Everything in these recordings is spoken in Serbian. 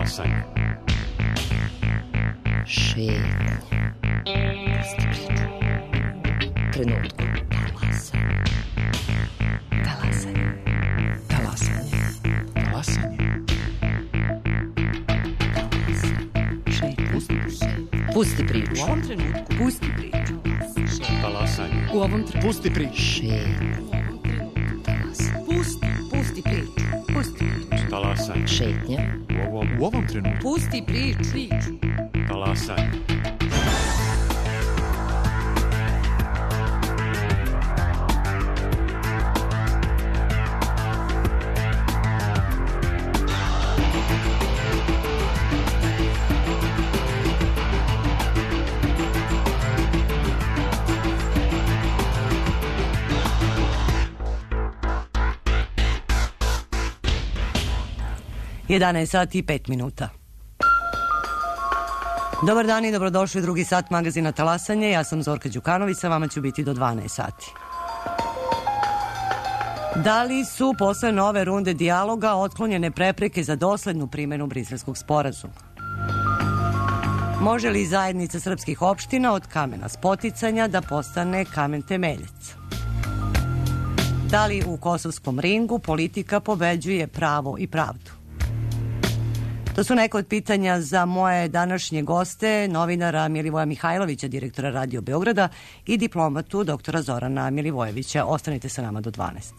Talasanje. Šetnja. Trenutku. Talasanje. Talasanje. Talasanje. Pusti priču. U ovom trenutku. Pusti priču. Talasanje. U ovom trenutku. Pusti priču. Šetnja. Pusti priču. Pusti priču. Talasanje. Šetnja. U ovom trenutku. Pusti priču. Talasanje. Jedanaest sati i 5 minuta. Dobar dan i dobrodošli u drugi sat magazina Talasanje. Ja sam Zorka Đukanović, sa vama ću biti do 12 sati. Da li su posle nove runde dijaloga otklonjene prepreke za doslednu primjenu Briselskog sporazuma? Može li zajednica srpskih opština od kamena spoticanja da postane kamen temeljac? Da li u kosovskom ringu politika pobeđuje pravo i pravdu? To su neka od pitanja za moje današnje goste, novinara Milivoja Mihajlovića, direktora Radio Beograda, i diplomatu doktora Zorana Milivojevića. Ostanite sa nama do 12.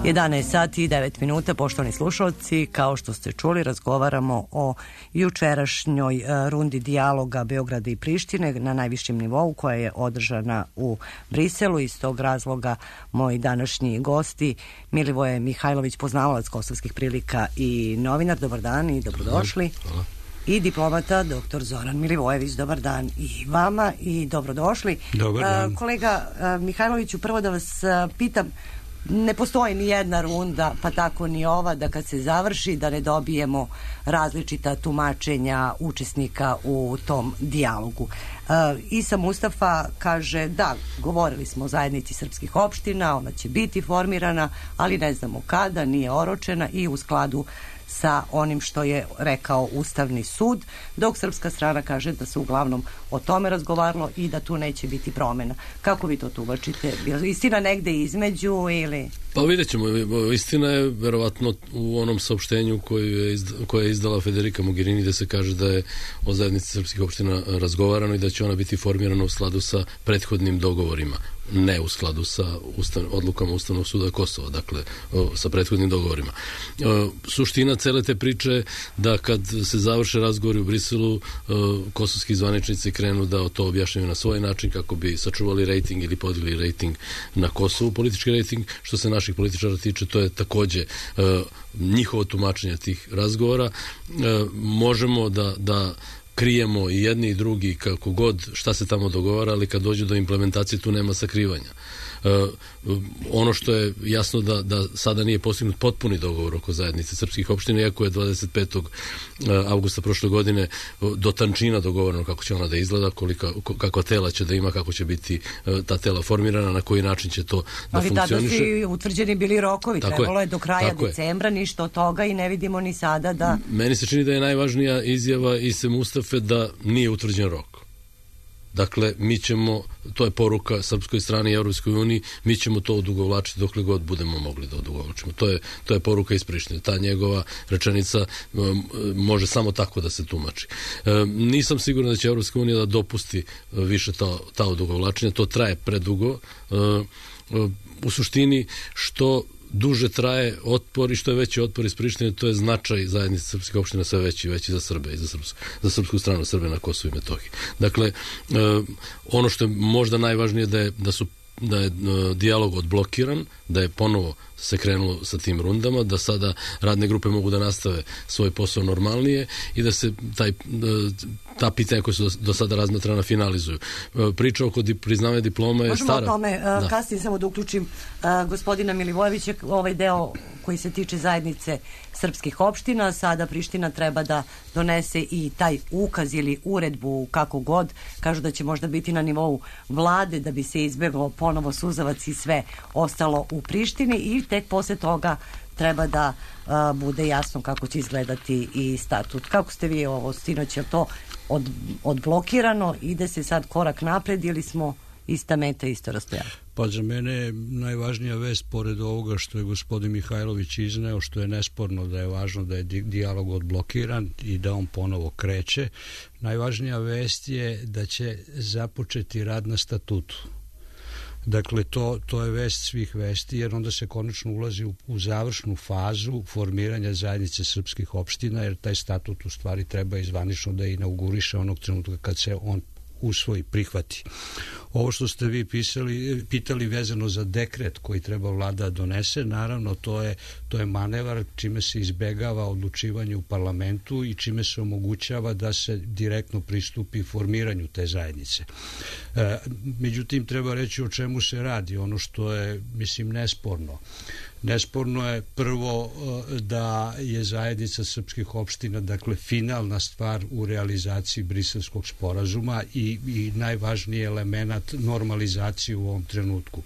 11 sati i 9 minuta, poštovani slušalci, kao što ste čuli, razgovaramo o jučerašnjoj rundi dijaloga Beograda i Prištine na najvišem nivou koja je održana u Briselu. Iz tog razloga moji današnji gosti Milivoje Mihajlović, poznavalac kosovskih prilika i novinar, dobar dan i dobrodošli. Hvala. I diplomata dr. Zoran Milivojević, dobar dan i vama i dobrodošli. Dobar dan. Kolega Mihajloviću, prvo da vas pitam, ne postoji ni jedna runda, pa tako ni ova, da kad se završi da ne dobijemo različita tumačenja učesnika u tom dijalogu. Isa Mustafa kaže da, govorili smo o zajednici srpskih opština, ona će biti formirana, ali ne znamo kada, nije oročena i u skladu sa onim što je rekao Ustavni sud, dok srpska strana kaže da se uglavnom o tome razgovaralo i da tu neće biti promjena. Kako vi to tumačite? Istina negde između ili... Pa vidjet ćemo. Istina je verovatno u onom saopštenju koje je izdala Federica Mogherini, gde se kaže da je o zajednici srpskih opština razgovarano i da će ona biti formirana u skladu sa prethodnim dogovorima, ne u skladu sa odlukama Ustavnog suda Kosova, dakle sa prethodnim dogovorima. Suština cele te priče je da kad se završe razgovori u Briselu, kosovski zvaničnici krenu da to objašnjaju na svoj način kako bi sačuvali rejting ili podigli rejting na Kosovu, politički rejting. Što se naših političara tiče, to je takođe njihovo tumačenje tih razgovora. Možemo da krijemo i jedni i drugi kako god šta se tamo dogovara, ali kad dođe do implementacije tu nema sakrivanja. Ono što je jasno da sada nije postignut potpuni dogovor oko zajednice srpskih opština, iako je 25. avgusta prošle godine do tančina dogovoreno kako će ona da izgleda, kakva tela će da ima, kako će biti ta tela formirana, na koji način će to da funkcioniše. Ali tada su utvrđeni bili rokovi, trebalo je do kraja decembra, ništa od toga i ne vidimo ni sada da... Meni se čini da je najvažnija izjava Ise Mustafe da nije utvrđen rok. Dakle, mi ćemo, to je poruka srpskoj strani i Evropskoj uniji, mi ćemo to odugovlačiti dokle god budemo mogli da odugovlačimo. To je poruka iz Prištine. Ta njegova rečenica može samo tako da se tumači. Nisam siguran da će Evropska unija da dopusti više ta odugovlačenja. To traje predugo. U suštini, što duže traje otpor i što je veći otpor iz Prištine, to je značaj zajednice srpskih opština sve veći i veći za Srbe i za srpsku stranu Srbe na Kosovu i Metohiji. Dakle, ono što je možda najvažnije da je dijalog odblokiran, da je ponovo se krenulo sa tim rundama, da sada radne grupe mogu da nastave svoj posao normalnije i da se ta pitanja koja su do sada razmatrana finalizuju. Priča oko priznavanja diploma je stara. Možemo o tome kasnije samo da uključim gospodina Milivojevića, ovaj deo koji se tiče zajednice srpskih opština. Sada Priština treba da donese i taj ukaz ili uredbu, kako god, kažu da će možda biti na nivou vlade da bi se izbjeglo ponovo suzavac i sve ostalo u Prištini i tek posle toga treba da bude jasno kako će izgledati i statut. Kako ste vi ovo sinoć, je to odblokirano, ide se sad korak napred ili smo ista meta, isto rastojanje? Pa za mene je najvažnija vest, pored ovoga što je gospodin Mihajlović izneo, što je nesporno da je važno da je dijalog odblokiran i da on ponovo kreće. Najvažnija vest je da će započeti rad na statutu. Dakle, to je vest svih vesti, jer onda se konačno ulazi u završnu fazu formiranja zajednice srpskih opština, jer taj statut u stvari treba izvanično da inauguriše onog trenutka kad se on usvoji, prihvati. Ovo što ste vi pitali vezano za dekret koji treba vlada donese, naravno to je manevar čime se izbegava odlučivanje u parlamentu i čime se omogućava da se direktno pristupi formiranju te zajednice. Međutim, treba reći o čemu se radi, ono što je, mislim, nesporno. Nesporno je prvo da je zajednica srpskih opština, dakle, finalna stvar u realizaciji Briselskog sporazuma i najvažniji element normalizacije u ovom trenutku.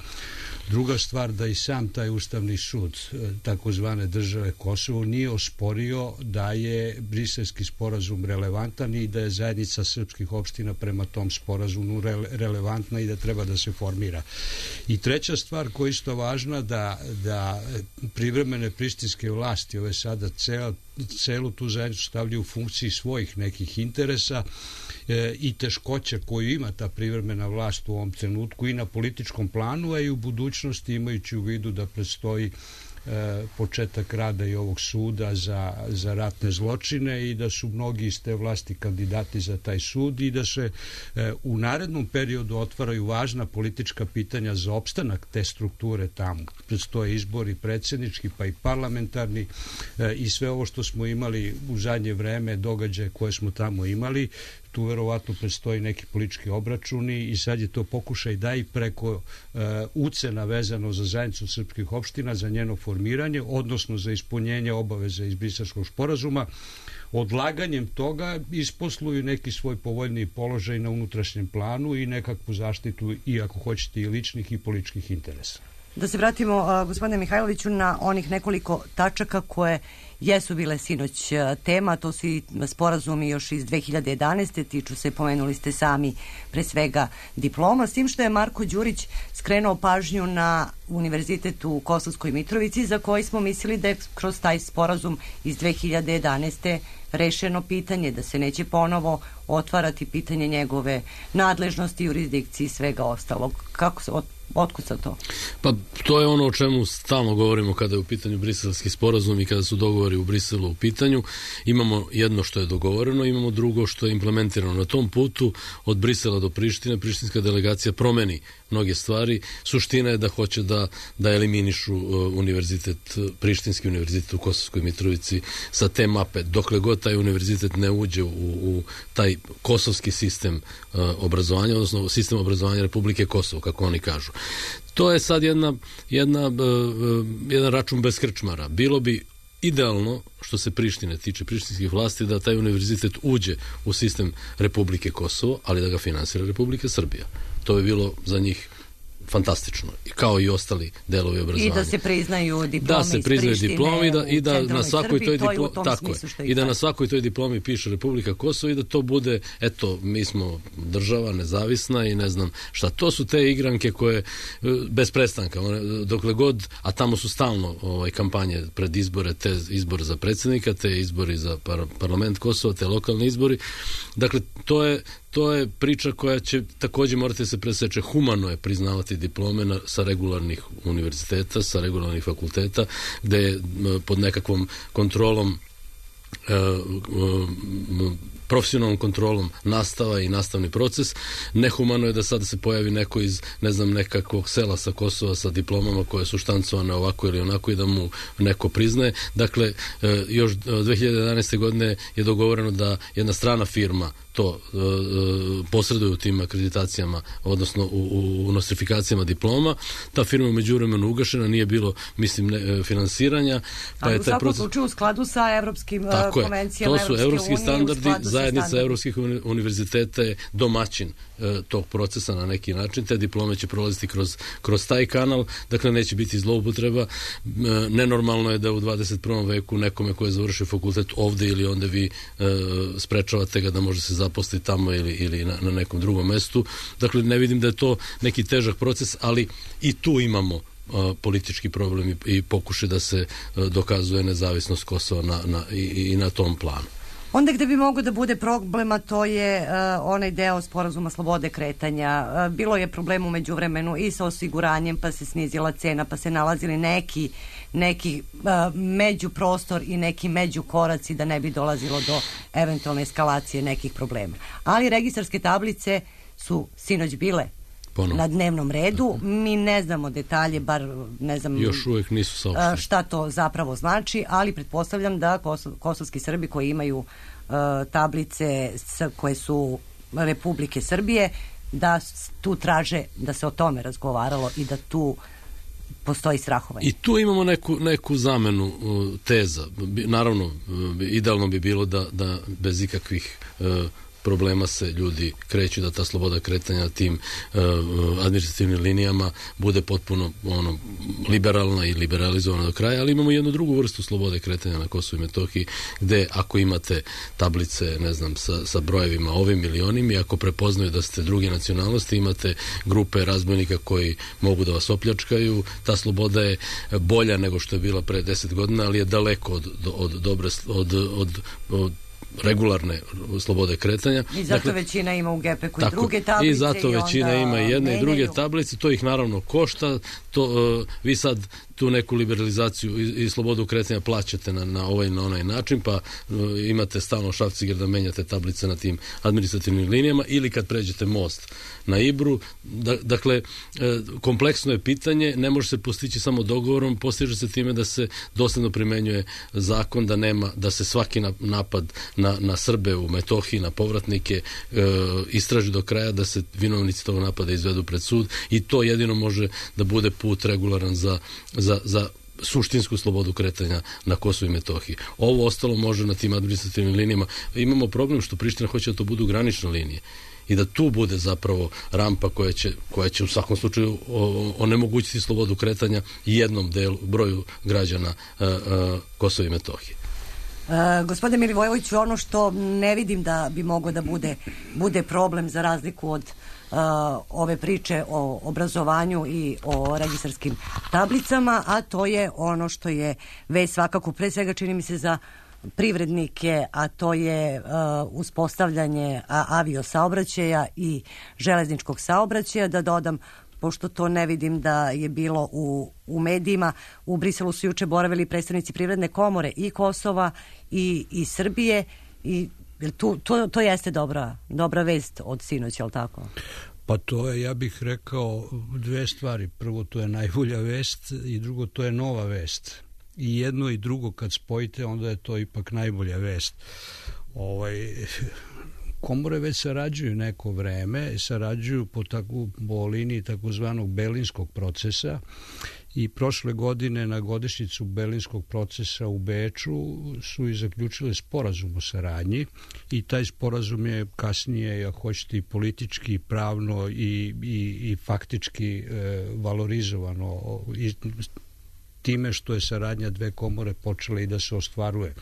Druga stvar, da i sam taj Ustavni sud takozvane države Kosovo nije osporio da je Briselski sporazum relevantan i da je zajednica srpskih opština prema tom sporazumu relevantna i da treba da se formira. I treća stvar koja je isto važna, da privremene prištinske vlasti ove sada celu tu zajednicu stavljaju u funkciji svojih nekih interesa i teškoće koju ima ta privremena vlast u ovom trenutku i na političkom planu, a i u budućnosti, imajući u vidu da predstoji početak rada i ovog suda za ratne zločine i da su mnogi iz te vlasti kandidati za taj sud i da se u narednom periodu otvaraju važna politička pitanja za opstanak te strukture tamo. Predstoje izbori predsjednički pa i parlamentarni i sve ovo što smo imali u zadnje vreme, događaje koje smo tamo imali, tu verovatno predstoji neki politički obračuni i sad je to pokušaj da i preko ucena vezano za zajednicu srpskih opština, za njeno formiranje, odnosno za ispunjenje obaveza iz Briselskog sporazuma, odlaganjem toga isposluju neki svoj povoljniji položaj na unutrašnjem planu i nekakvu zaštitu i ako hoćete i ličnih i političkih interesa. Da se vratimo, gospodine Mihajloviću, na onih nekoliko tačaka koje jesu bile sinoć tema, to su i sporazumi još iz 2011. tiču se, pomenuli ste sami, pre svega diploma, s tim što je Marko Đurić skrenuo pažnju na univerzitet u Kosovskoj Mitrovici, za koji smo mislili da je kroz taj sporazum iz 2011. rešeno pitanje, da se neće ponovo otvarati pitanje njegove nadležnosti, jurisdikcije i svega ostalog. Kako se otkud sa to? Pa to je ono o čemu stalno govorimo kada je u pitanju briselski sporazum i kada su dogovori u Briselu u pitanju. Imamo jedno što je dogovoreno, imamo drugo što je implementirano. Na tom putu od Brisela do Prištine, prištinska delegacija promeni mnoge stvari. Suština je da hoće da eliminišu univerzitet, prištinski univerzitet u Kosovskoj Mitrovici sa te mape. Dokle god taj univerzitet ne uđe u taj kosovski sistem obrazovanja, odnosno sistem obrazovanja Republike Kosovo, kako oni kažu. To je sad jedan račun bez krčmara. Bilo bi idealno, što se Prištine tiče, prištinskih vlasti, da taj univerzitet uđe u sistem Republike Kosovo, ali da ga finansira Republika Srbija. To bi bilo za njih fantastično, kao i ostali delovi obrazovanja. I da se priznaju diplomi iz Prištine i da na svakoj toj diplomi, tako je, i da na svakoj toj diplomi piše Republika Kosovo i da to bude, eto, mi smo država nezavisna i ne znam šta. To su te igranke koje bez prestanka, dokle god, a tamo su stalno kampanje pred izbore, te izbore za predsjednika, te izbori za parlament Kosova, te lokalni izbori. Dakle, to je priča koja će također morati se preseče. Humano je priznavati diplome sa regularnih univerziteta, sa regularnih fakulteta, gde je pod nekakvom kontrolom, profesionalnom kontrolom nastava i nastavni proces. Nehumano je da sada se pojavi neko iz, ne znam, nekakvog sela sa Kosova sa diplomama koje su štancovane ovako ili onako i da mu neko priznaje. Dakle, još 2011. godine je dogovoreno da jedna strana firma to posreduje u tim akreditacijama, odnosno u nostrifikacijama diploma. Ta firma je međuvremenu ugašena, nije bilo, mislim, finansiranja. Pa ali u svakom slučaju u skladu sa evropskim konvencijama Evropske unije. To su evropski standardi, zajednica evropskih univerziteta je domaćin tog procesa na neki način. Te diplome će prolaziti kroz taj kanal, dakle neće biti zloupotreba. Nenormalno je da u 21. veku nekome ko je završio fakultet ovde ili onda vi sprečavate ga da može se zaposliti tamo ili na nekom drugom mestu. Dakle, ne vidim da je to neki težak proces, ali i tu imamo politički problem i pokušaj da se dokazuje nezavisnost Kosova i na tom planu. Onda gde bi mogao da bude problema, to je onaj deo sporazuma slobode kretanja. Bilo je problem u međuvremenu i sa osiguranjem, pa se snizila cena, pa se nalazili neki međuprostor i neki međukoraci da ne bi dolazilo do eventualne eskalacije nekih problema. Ali registarske tablice su sinoć bile na dnevnom redu. Mi ne znamo detalje, bar ne znam još uvijek nisu saopšteni šta to zapravo znači, ali pretpostavljam da kosovski Srbi koji imaju tablice koje su Republike Srbije, da tu traže da se o tome razgovaralo i da tu postoji strahovanje. I tu imamo neku zamenu teza. Naravno, idealno bi bilo da bez ikakvih problema se ljudi kreću, da ta sloboda kretanja tim administrativnim linijama bude potpuno liberalna i liberalizovana do kraja, ali imamo jednu drugu vrstu slobode kretanja na Kosovu i Metohiji, gde ako imate tablice, ne znam, sa brojevima ovim ili onim i ako prepoznaju da ste druge nacionalnosti, imate grupe razbojnika koji mogu da vas opljačkaju, ta sloboda je bolja nego što je bila pre 10 godina, ali je daleko od regularne slobode kretanja. I zato većina ima u GPK-u i druge tablice. I zato većina ima i jedne i druge tablice, to ih naravno košta. Vi sad tu neku liberalizaciju i slobodu kretanja plaćate na ovaj i na onaj način, pa imate stalno šrafciger da menjate tablice na tim administrativnim linijama, ili kad pređete most na Ibru. Dakle, kompleksno je pitanje, ne može se postići samo dogovorom, postiže se time da se dosledno primenjuje zakon, da se svaki napad na Srbe u Metohiji, na povratnike istraži do kraja, da se vinovnici tog napada izvedu pred sud, i to jedino može da bude put regularan za suštinsku slobodu kretanja na Kosovu i Metohiji. Ovo ostalo može na tim administrativnim linijama. Imamo problem što Priština hoće da to budu granične linije i da tu bude zapravo rampa koja će u svakom slučaju onemogućiti slobodu kretanja jednom broju građana Kosova i Metohije. Gospodine Milivojeviću, ono što ne vidim da bi moglo da bude problem, za razliku od ove priče o obrazovanju i o registarskim tablicama, a to je ono što je već svakako, pre svega čini mi se za privrednike, a to je uspostavljanje aviosaobraćaja i železničkog saobraćaja. Da dodam, pošto to ne vidim da je bilo u medijima, u Briselu su juče boravili predstavnici Privredne komore i Kosova i Srbije, i to jeste dobra vest od sinoć, je li tako? Pa to je, ja bih rekao, dve stvari. Prvo, to je najbolja vest, i drugo, to je nova vest. I jedno i drugo kad spojite, onda je to ipak najbolja vest. Komore već sarađuju neko vreme, sarađuju po liniji takozvanog Berlinskog procesa, i prošle godine na godišnjicu Berlinskog procesa u Beču su i zaključile sporazum o saradnji, i taj sporazum je kasnije, ako hoćete, i politički, i pravno i faktički valorizovano time što je saradnja dve komore počela i da se ostvaruje.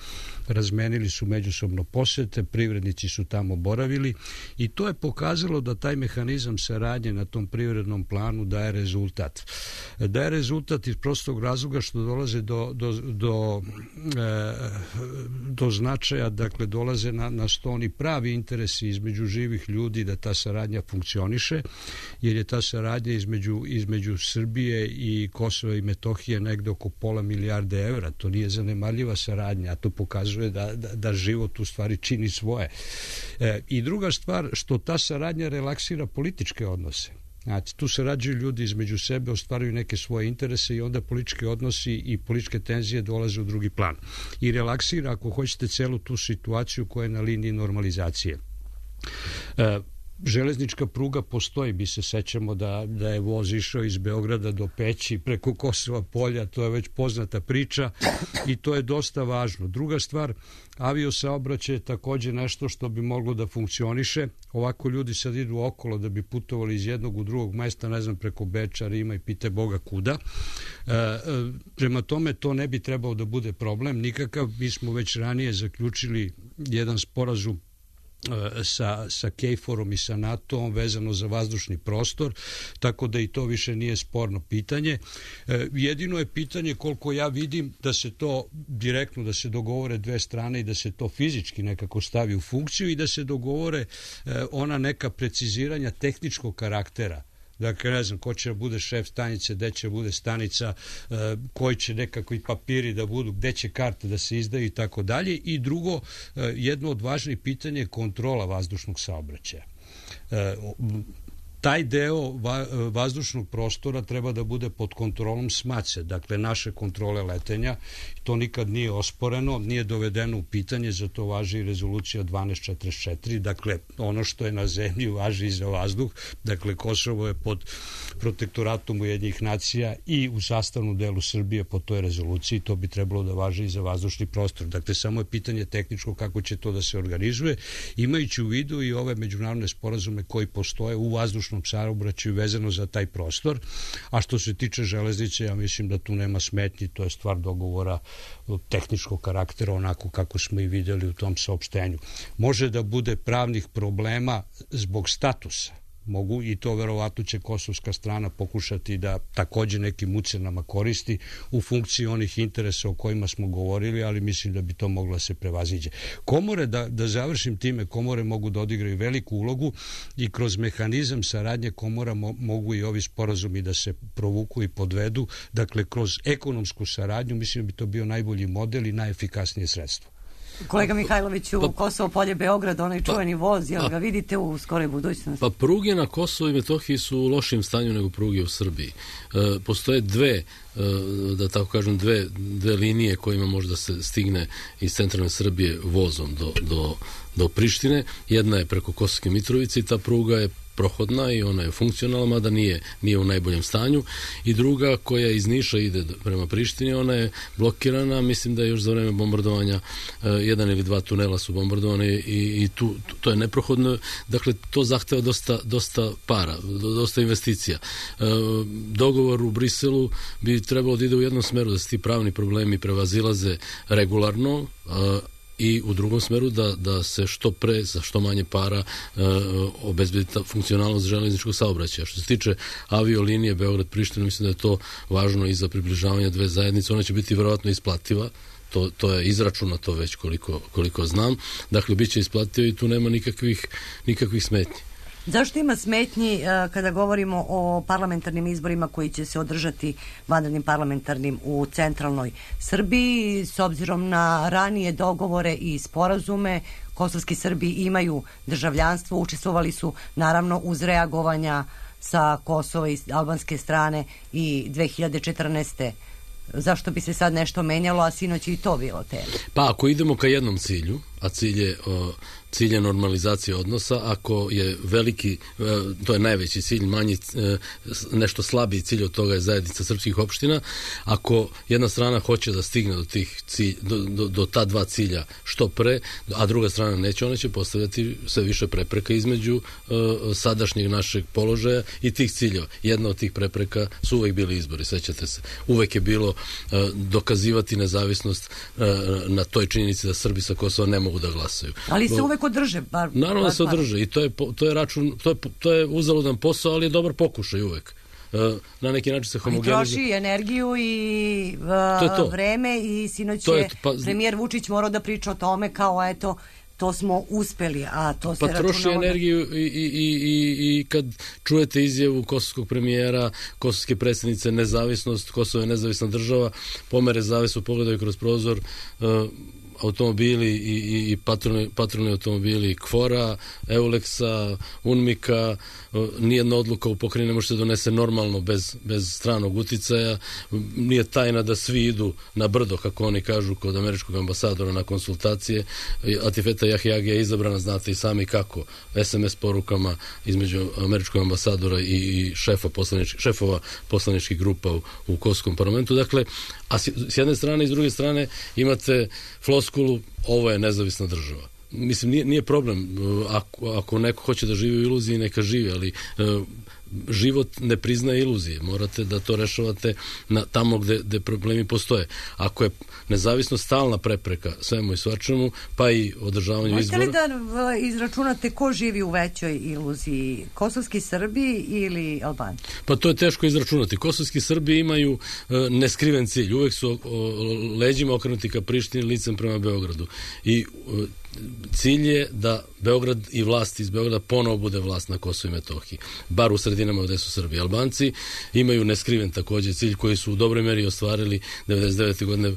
Razmenili su međusobno posete, privrednici su tamo boravili, i to je pokazalo da taj mehanizam saradnje na tom privrednom planu daje rezultat. Daje rezultat iz prostog razloga što dolaze do značaja, dakle dolaze na sto oni pravi interesi između živih ljudi da ta saradnja funkcioniše, jer je ta saradnja između Srbije i Kosova i Metohije negde oko $500 milijarde evra. To nije zanemarljiva saradnja, a to pokazuje da život u stvari čini svoje. I druga stvar, što ta saradnja relaksira političke odnose. Znači, tu sarađuju ljudi između sebe, ostvaruju neke svoje interese, i onda politički odnosi i političke tenzije dolaze u drugi plan. I relaksira, ako hoćete, celu tu situaciju koja je na liniji normalizacije. Železnička pruga postoji, mi se sećamo da je voz išao iz Beograda do Peći preko Kosova polja, to je već poznata priča, i to je dosta važno. Druga stvar, aviosaobraćaj je takođe nešto što bi moglo da funkcioniše. Ovako ljudi sad idu okolo da bi putovali iz jednog u drugog mesta, ne znam, preko Beča, Rima i pite Boga kuda. Prema tome, to ne bi trebao da bude problem nikakav. Mi smo već ranije zaključili jedan sporazum sa KFOR-om i sa NATO-om vezano za vazdušni prostor, tako da i to više nije sporno pitanje. Jedino je pitanje, koliko ja vidim, da se to direktno, da se dogovore dve strane i da se to fizički nekako stavi u funkciju i da se dogovore ona neka preciziranja tehničkog karaktera. Dakle, ne znam, ko će da bude šef stanice, gde će bude stanica, koji će nekakvi papiri da budu, gde će karte da se izdaju i tako dalje. I drugo, jedno od važnih pitanja je kontrola vazdušnog saobraćaja. Taj deo vazdušnog prostora treba da bude pod kontrolom SMACE, dakle naše kontrole letenja. To nikad nije osporeno, nije dovedeno u pitanje, za to važi i rezolucija 1244, dakle ono što je na zemlji važi i za vazduh. Dakle, Kosovo je pod protektoratom Ujedinjenih nacija i u sastavnom delu Srbije po toj rezoluciji, to bi trebalo da važi i za vazdušni prostor. Dakle, samo je pitanje tehničko kako će to da se organizuje, imajući u vidu i ove međunarodne sporazume koji postoje u vazdušnom saobraćaju vezano za taj prostor. A što se tiče železnice, ja mislim da tu nema smetnji, to je stvar dogovora tehničkog karaktera, onako kako smo i videli u tom saopštenju. Može da bude pravnih problema zbog statusa. mogu, i to verovatno će kosovska strana pokušati da takođe nekim ucenama koristi u funkciji onih interesa o kojima smo govorili, ali mislim da bi to moglo se prevaziđe. Komore, da završim time, komore mogu da odigraju veliku ulogu i kroz mehanizam saradnje komora mogu i ovi sporazumi da se provuku i podvedu. Dakle, kroz ekonomsku saradnju mislim da bi to bio najbolji model i najefikasnije sredstvo. Kolega Mihajloviću, Kosovo polje Beograd, onaj čuveni voz, jel ga vidite u skoroj budućnosti? Pa pruge na Kosovo i Metohiji su u lošim stanju nego pruge u Srbiji. Postoje dve, da tako kažem, dve linije kojima može da se stigne iz centralne Srbije vozom do Prištine. Jedna je preko Kosovske Mitrovice i ta pruga je prohodna i ona je funkcionalna, mada nije u najboljem stanju, i druga koja iz Niša ide prema Prištini, ona je blokirana, mislim da je još za vreme bombardovanja jedan ili dva tunela su bombardovane i to je neprohodno, dakle to zahteva dosta para, dosta investicija. Dogovor u Briselu bi trebalo da ide u jednom smeru, da se ti pravni problemi prevazilaze regularno, i u drugom smeru da se što pre, za što manje para obezbedi funkcionalnost železničkog saobraćaja. Što se tiče aviolinije Beograd-Priština, mislim da je to važno i za približavanje dve zajednice. Ona će biti verovatno isplativa, to je izračunato već koliko znam. Dakle, bit će isplativa i tu nema nikakvih smetnji. Zašto ima smetnji kada govorimo o parlamentarnim izborima koji će se održati vanrednim parlamentarnim u centralnoj Srbiji, s obzirom na ranije dogovore i sporazume? Kosovski Srbi imaju državljanstvo, učestvovali su naravno uz reagovanja sa Kosova i albanske strane i 2014. Zašto bi se sad nešto menjalo, a sinoć i to bilo tema? Pa ako idemo ka jednom cilju, a cilj je normalizacija odnosa, ako je veliki, to je najveći cilj, manji, nešto slabiji cilj od toga je zajednica srpskih opština, ako jedna strana hoće da stigne do ta dva cilja što pre, a druga strana neće, ona će postavljati sve više prepreka između sadašnjeg našeg položaja i tih ciljeva. Jedna od tih prepreka su uvek bili izbori, sećate se. Uvek je bilo dokazivati nezavisnost na toj činjenici da Srbi sa Kosova ne mogu da glasaju. Ali se uvek održe. Naravno da se održe i to je račun, to je uzaludan posao, ali je dobar pokušaj uvek. Na neki način se homogenizuje. Troši energiju i vreme i sinoć je premijer Vučić morao da priča o tome kao eto, to smo uspeli, a to se računalo... troši energiju i kad čujete izjavu kosovskog premijera, kosovske predsjednice, nezavisnost, Kosovo je nezavisna država, pomere zavisu, pogledaju kroz prozor, automobili i patrolni automobili KFOR-a, Euleksa, UNMIK-a, nijedna odluka u pokrajini ne može se donese normalno bez stranog uticaja. Nije tajna da svi idu na brdo, kako oni kažu, kod američkog ambasadora na konsultacije. Atifeta Jahjagi je izabrana, znate i sami kako, SMS porukama između američkog ambasadora i šefova poslaničkih grupa u Kosovskom parlamentu. Dakle, a s jedne strane i s druge strane imate floskulu, ovo je nezavisna država. Mislim, nije problem, ako neko hoće da živi u iluziji, neka živi, ali život ne priznaje iluzije. Morate da to rešavate tamo gde problemi postoje. Ako je nezavisnost stalna prepreka svemu i svačemu, pa i održavanju izbora... Možete li da izračunate ko živi u većoj iluziji? Kosovski Srbi ili Albanci? Pa to je teško izračunati. Kosovski Srbi imaju neskriven cilj. Uvek su leđima okrenuti ka Prištini, licem prema Beogradu. I cilj je da Beograd i vlast iz Beograda ponovo bude vlast na Kosovu i Metohiji. Bar u sredinama gde su Srbi. Albanci imaju neskriven takođe cilj koji su u dobroj meri ostvarili 99. godine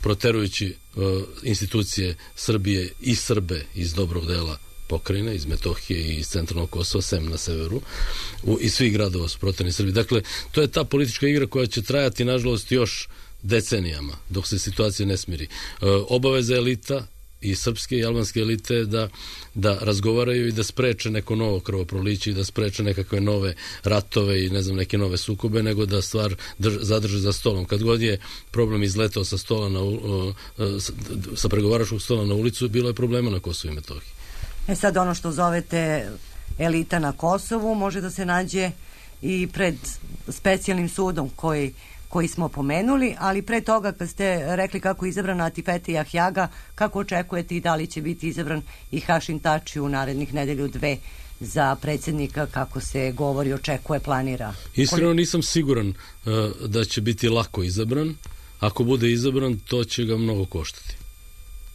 proterujući institucije Srbije i Srbe iz dobrog dela pokrajine, iz Metohije i iz centralnog Kosova, sem na severu, i svih gradova su proterani Srbi. Dakle, to je ta politička igra koja će trajati, nažalost, još decenijama, dok se situacija ne smiri. Obaveza elita i srpske i albanske elite da razgovaraju i da spreče neko novo krvoproliće i da spreče nekakve nove ratove i ne znam, neke nove sukobe, nego da stvar zadrže za stolom. Kad god je problem izletao sa stola sa pregovaračkog stola na ulicu, bilo je problema na Kosovu i Metohiji. Sad ono što zovete elita na Kosovu može da se nađe i pred specijalnim sudom koji smo pomenuli, ali pre toga kad ste rekli kako je izabrana Atifete Jahjaga, kako očekujete i da li će biti izabran i Hašim Tači u narednih nedelju dve za predsjednika, kako se govori, očekuje, planira? Iskreno nisam siguran da će biti lako izabran. Ako bude izabran, to će ga mnogo koštati.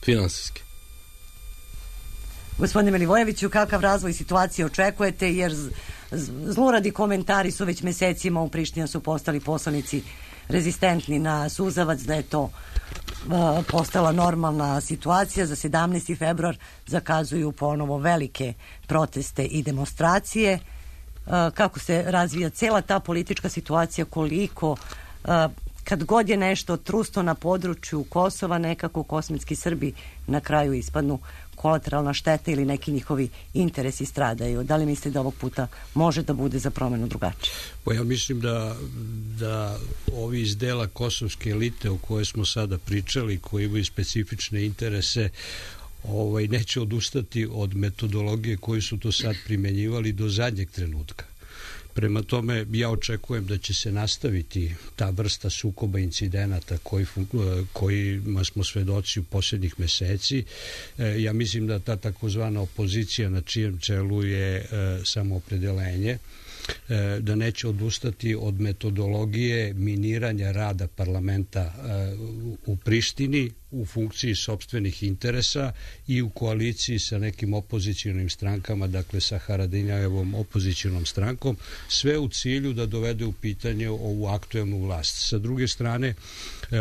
Finansijski. Gospodine Milivojeviću, kakav razvoj situacije očekujete, jer zluradi komentari su već mesecima u Prištini, su postali poslanici rezistentni na suzavac, da je to postala normalna situacija. Za 17. februar zakazuju ponovo velike proteste i demonstracije. Kako se razvija cela ta politička situacija, koliko kad god je nešto trusto na području Kosova, nekako kosmetski Srbi na kraju ispadnu kolateralna šteta ili neki njihovi interesi stradaju. Da li mislite da ovog puta može da bude za promenu drugačije? Pa ja mislim da ovi iz dela kosovske elite o kojoj smo sada pričali, koji imaju specifične interese, neće odustati od metodologije koju su to sad primenjivali do zadnjeg trenutka. Prema tome, ja očekujem da će se nastaviti ta vrsta sukoba incidenata kojima smo svedoci u posljednjih meseci. Ja mislim da ta takozvana opozicija na čijem čelu je samoopredelenje, da neće odustati od metodologije miniranja rada parlamenta u Prištini u funkciji sopstvenih interesa i u koaliciji sa nekim opozicionim strankama, dakle sa Haradinajevom opozicionom strankom, sve u cilju da dovede u pitanje ovu aktuelnu vlast. Sa druge strane,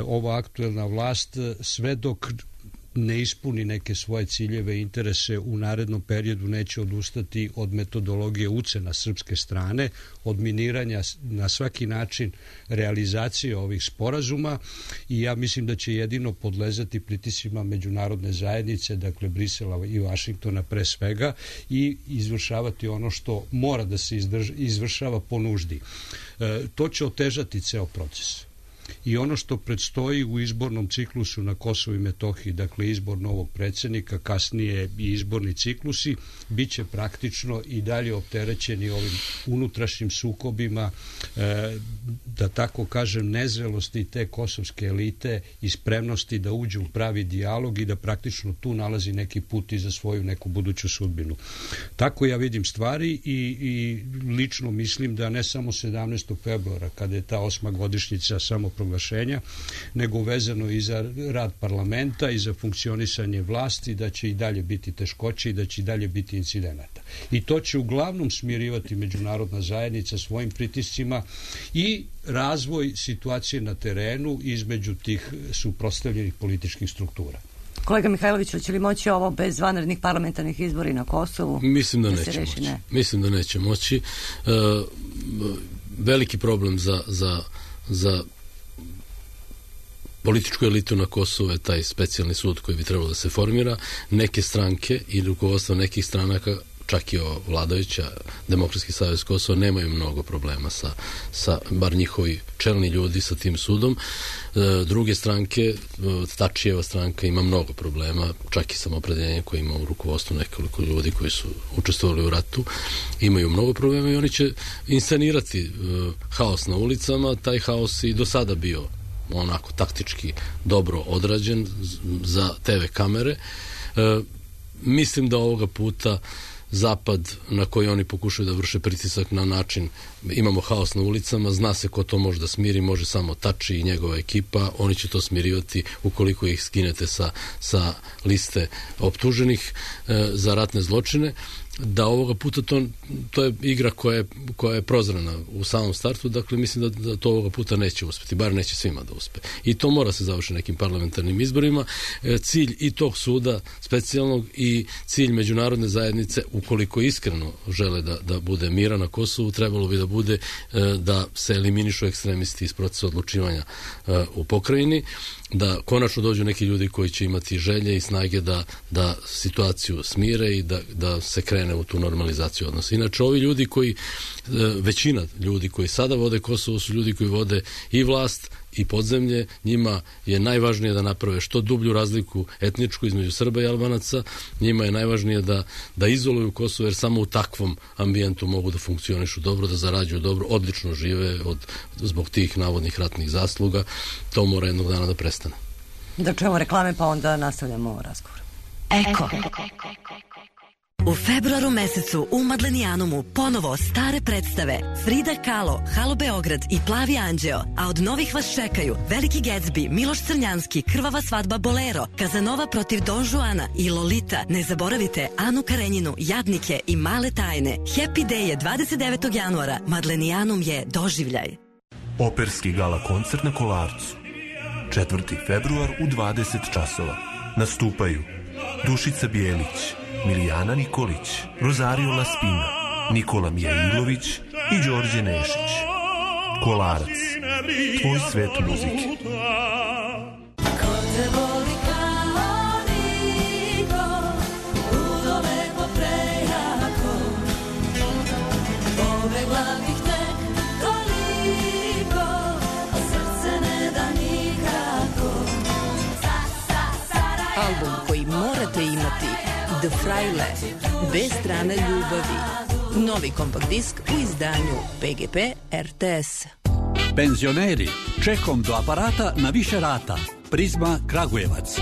ova aktuelna vlast sve dok ne ispuni neke svoje ciljeve i interese u narednom periodu neće odustati od metodologije ucena srpske strane, od miniranja na svaki način realizacije ovih sporazuma i ja mislim da će jedino podlezati pritiscima međunarodne zajednice, dakle Brisela i Vašingtona pre svega, i izvršavati ono što mora da se izvršava po nuždi. To će otežati ceo proces. I ono što predstoji u izbornom ciklusu na Kosovu i Metohiji, dakle izbor novog predsjednika, kasnije i izborni ciklusi, bit će praktično i dalje opterećeni ovim unutrašnjim sukobima, da tako kažem, nezrelosti te kosovske elite i spremnosti da uđu u pravi dijalog i da praktično tu nalazi neki put i za svoju neku buduću sudbinu. Tako ja vidim stvari i lično mislim da ne samo 17. februara, kada je ta 8. godišnjica samoproglašenja, nego vezano i za rad parlamenta i za funkcionisanje vlasti, da će i dalje biti teškoće i da će i dalje biti incidenata. I to će uglavnom smirivati međunarodna zajednica svojim pritiscima i razvoj situacije na terenu između tih suprotstavljenih političkih struktura. Kolega Mihajlović, hoće li moći ovo bez vanrednih parlamentarnih izbora na Kosovu? Mislim da neće moći. Ne? Mislim da neće moći. Veliki problem za političku elitu na Kosovu je taj specijalni sud koji bi trebalo da se formira. Neke stranke i rukovodstvo nekih stranaka, čak i vladajuća Demokratski savez Kosova, nemaju mnogo problema sa bar njihovi čelni ljudi sa tim sudom. Druge stranke, Tačijeva stranka ima mnogo problema, čak i samoopredeljenje koje ima u rukovodstvu nekoliko ljudi koji su učestvovali u ratu, imaju mnogo problema i oni će inscenirati haos na ulicama. Taj haos i do sada bio onako taktički dobro odrađen za TV kamere. Mislim da ovoga puta Zapad, na koji oni pokušaju da vrše pritisak na način, imamo haos na ulicama, zna se ko to može da smiri, može samo Tači i njegova ekipa, oni će to smirivati ukoliko ih skinete sa liste optuženih za ratne zločine. Da ovoga puta to je igra koja je prozrana u samom startu, dakle mislim da to ovoga puta neće uspeti, bar neće svima da uspe. I to mora se završiti nekim parlamentarnim izborima. Cilj i tog suda specijalnog i cilj međunarodne zajednice, ukoliko iskreno žele da bude mira na Kosovu, trebalo bi da bude da se eliminišu ekstremisti iz procesa odlučivanja u pokrajini, da konačno dođu neki ljudi koji će imati želje i snage da situaciju smire i da se krene u tu normalizaciju odnosa. Inače, ovi ljudi većina ljudi koji sada vode Kosovo su ljudi koji vode i vlast i podzemlje, njima je najvažnije da naprave što dublju razliku etničku između Srba i Albanaca, njima je najvažnije da izoluju Kosovo, jer samo u takvom ambijentu mogu da funkcionišu dobro, da zarađuju dobro, odlično žive zbog tih navodnih ratnih zasluga. To mora jednog dana da prestane. Da čujemo reklame pa onda nastavljamo razgovor. Eko. U februaru mesecu u Madlenijanumu ponovo stare predstave Frida Kahlo, Halo Beograd i Plavi anđeo, a od novih vas čekaju Veliki Gatsby, Miloš Crnjanski, Krvava svadba Bolero, Kazanova protiv Don Juana i Lolita. Ne zaboravite Anu Karenjinu, Jadnike i Male tajne. Happy Day je 29. januara. Madlenijanum je doživljaj. Operski gala koncert na Kolarcu. 4. februar u 20 časova. Nastupaju Dušica Bijelić, Milijana Nikolić, Rosario Laspina, Nikola Mijailović i Đorđe Nešić. Kolarac, tvoj svet muzike. Album koji morate imati, The Fraile, bez strane ljubavi. Novi kompakt disk u izdanju PGP RTS. Penzioneri, čekom do aparata na više rata. Prizma Kragujevac.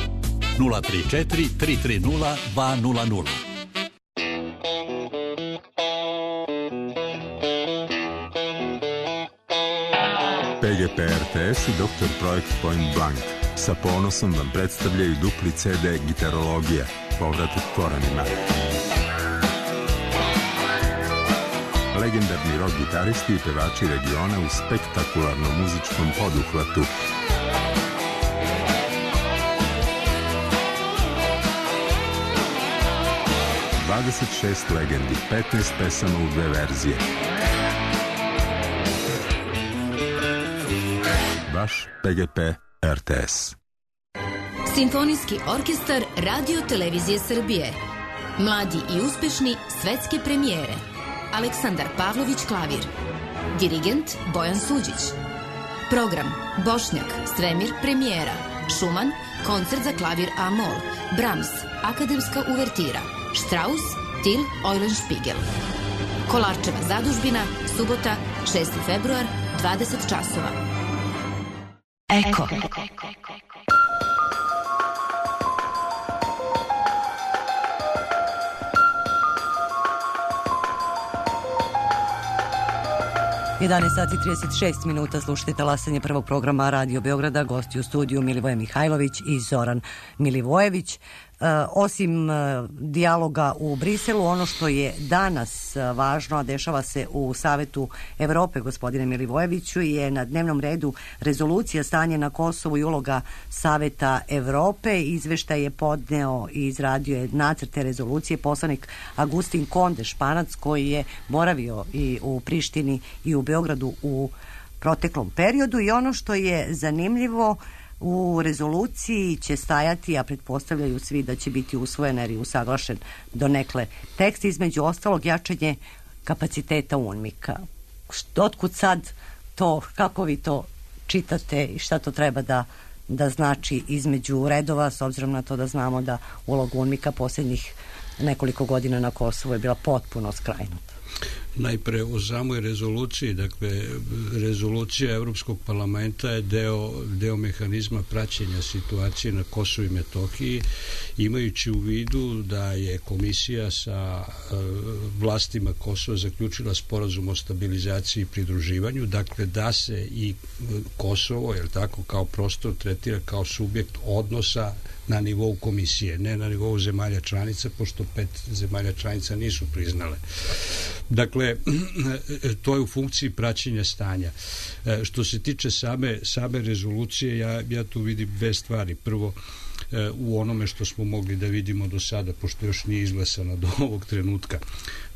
034 330 200. PGP RTS i Dr. Projekt Point Blank sa ponosom vam predstavljaju dupli CD Gitarologija, povratak korenima. Legendarni rock gitaristi i pevači regiona u spektakularnom muzičkom poduhvatu. ...26 legendi, 15 pesama u 2 verzije. Vaš PGP RTS. Simfonijski orkestar Radio Televizije Srbije. Mladi i uspešni svetske premijere. Aleksandar Pavlović klavir. Dirigent Bojan Suđić. Program Bošnjak, Svemir premijera. Šuman, koncert za klavir A-mol. Brahms, akademska uvertira. Strauss, Till Eulenspiegel. Kolarčeva zadužbina, subota, 6. februar, 20 časova. Eko. 11 sati 36 minuta, slušajte talasanje prvog programa Radio Beograda, gosti u studiju Milivoje Mihajlović i Zoran Milivojević. Osim dijaloga u Briselu, ono što je danas važno, a dešava se u Savetu Evrope, gospodine Milivojeviću, je na dnevnom redu rezolucija stanje na Kosovu i uloga Saveta Evrope. Izveštaj je podneo i izradio je nacrte rezolucije poslanik Agustin Konde, Španac, koji je boravio i u Prištini i u Beogradu u proteklom periodu. I ono što je zanimljivo, u rezoluciji će stajati, a pretpostavljaju svi da će biti usvojen jer je usaglašen donekle tekst, između ostalog jačanje kapaciteta UNMIK-a. Otkud sad to, kako vi to čitate i šta to treba da znači između redova, s obzirom na to da znamo da uloga UNMIK-a posljednjih nekoliko godina na Kosovu je bila potpuno skrajnuta? Najpre o samoj rezoluciji, dakle rezolucija Evropskog parlamenta je deo mehanizma praćenja situacije na Kosovu i Metohiji, imajući u vidu da je komisija sa vlastima Kosova zaključila sporazum o stabilizaciji i pridruživanju, dakle da se i Kosovo, jel tako, kao prostor tretira kao subjekt odnosa na nivou komisije, ne na nivou zemalja članica, pošto 5 zemalja članica nisu priznale. Dakle, to je u funkciji praćenja stanja. Što se tiče same rezolucije, ja tu vidim dve stvari. Prvo, u onome što smo mogli da vidimo do sada, pošto još nije izglasano do ovog trenutka.